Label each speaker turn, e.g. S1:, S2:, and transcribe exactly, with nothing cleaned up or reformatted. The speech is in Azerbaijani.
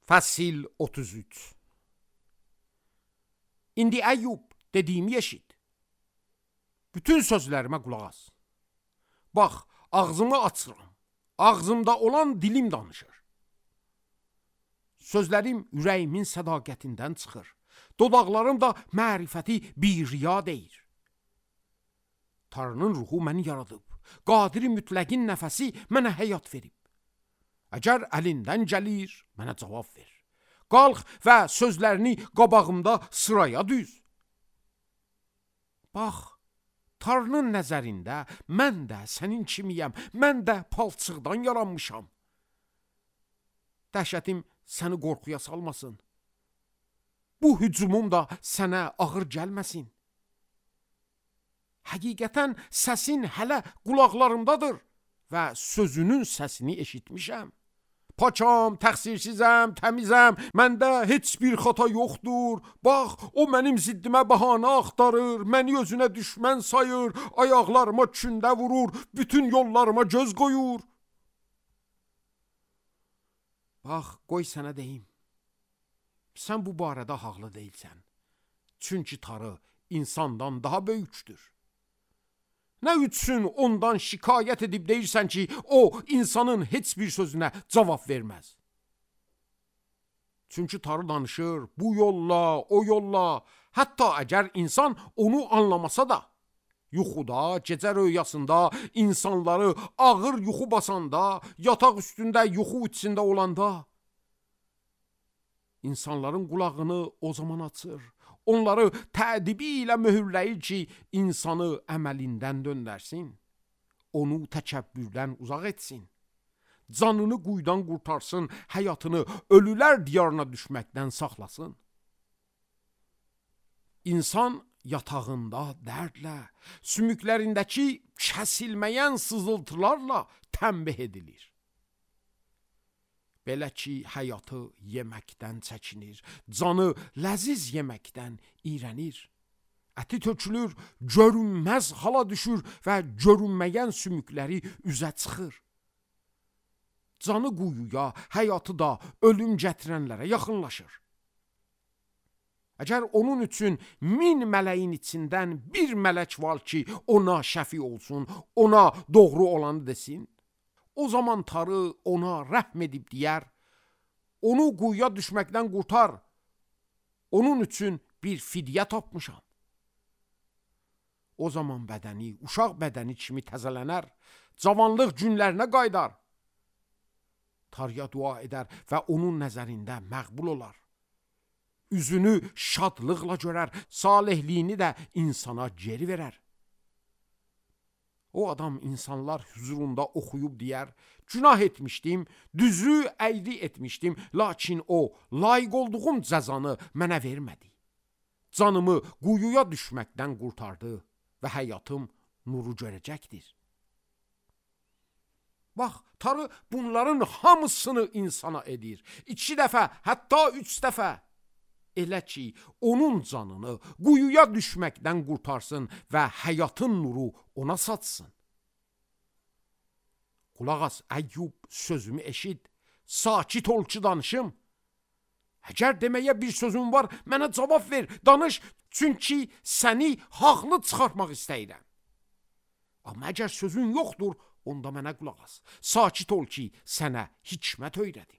S1: Fəsil otuz üç. İndi Əyyub, dediyimi eşit. Bütün sözlərimə qulaq as. Bax, ağzımı açıram. Ağzımda olan dilim danışır. Sözlərim ürəyimin sədaqətindən çıxır. Dodaqlarım da mərifəti bir riya deyir. Tanrının ruhu məni yaradıb. Qadiri mütləqin nəfəsi mənə həyat verib. Əgər əlindən gəlir, mənə cavab ver. Qalx və sözlərini qabağımda sıraya düz. Bax, Tanrının nəzərində mən də sənin kimiyəm, mən də palçıqdan yaranmışam. Dəhşətim səni qorxuya salmasın. Bu hücumum da sənə ağır gəlməsin. Həqiqətən səsin hələ qulaqlarımdadır və sözünün səsini eşitmişəm. Paçam, təqsirsizəm, təmizəm, məndə heç bir xata yoxdur. Bax, o mənim ziddimə bəhanə axtarır, məni özünə düşmən sayır, ayaqlarıma kündə vurur, bütün yollarıma göz qoyur. Bax, qoy sənə deyim. Sən bu barədə haqlı deyilsən. Çünki Tanrı insandan daha böyükdür. Nə üçün ondan şikayət edib deyirsən ki, o insanın heç bir sözünə cavab verməz? Çünki Tanrı danışır bu yolla, o yolla, hətta əgər insan onu anlamasa da, yuxuda, gecə röyasında, insanları ağır yuxu basanda, yataq üstündə yuxu içində olanda, insanların qulağını o zaman açır. Onları tədibi ilə möhürləyir ki, insanı əməlindən döndərsin, onu təkəbbürdən uzaq etsin, canını quyudan qurtarsın, həyatını ölülər diyarına düşməkdən saxlasın. İnsan yatağında dərdlə, sümüklərindəki kəsilməyən sızıltılarla tənbih edilir. Belə ki, həyatı yeməkdən çəkinir, canı ləziz yeməkdən iyrənir. Əti tökülür, görünməz hala düşür və görünməyən sümükləri üzə çıxır. Canı quyuya, həyatı da ölüm gətirənlərə yaxınlaşır. Əgər onun üçün min mələyin içindən bir mələk var ki, ona şəfi olsun, ona doğru olanı desin, o zaman Tanrı ona rəhm edib deyər, onu quyuya düşməkdən qurtar, onun üçün bir fidyə tapmışam. O zaman bədəni, uşaq bədəni kimi təzələnər, cavanlıq günlərinə qaydar. Tanrıya dua edər və onun nəzərində məqbul olar. Üzünü şadlıqla görər, salehliyini də insana geri verər. O adam insanlar huzurunda oxuyub deyər, günah etmişdim, düzü əyri etmişdim, lakin o, layiq olduğum cəzanı mənə vermədi. Canımı quyuya düşməkdən qurtardı və həyatım nuru görəcəkdir. Bax, Tanrı bunların hamısını insana edir. İki dəfə, hətta üç dəfə. Elə ki, onun canını quyuya düşməkdən qurtarsın və həyatın nuru ona satsın. Qulaq as, Əyyub, sözümü eşit, sakit ol ki danışım. Əgər deməyə bir sözün var, mənə cavab ver, danış, çünki səni haqlı çıxartmaq istəyirəm. Amma əgər sözün yoxdur, onda mənə qulaq as, sakit ol ki, sənə hikmət öyrədim.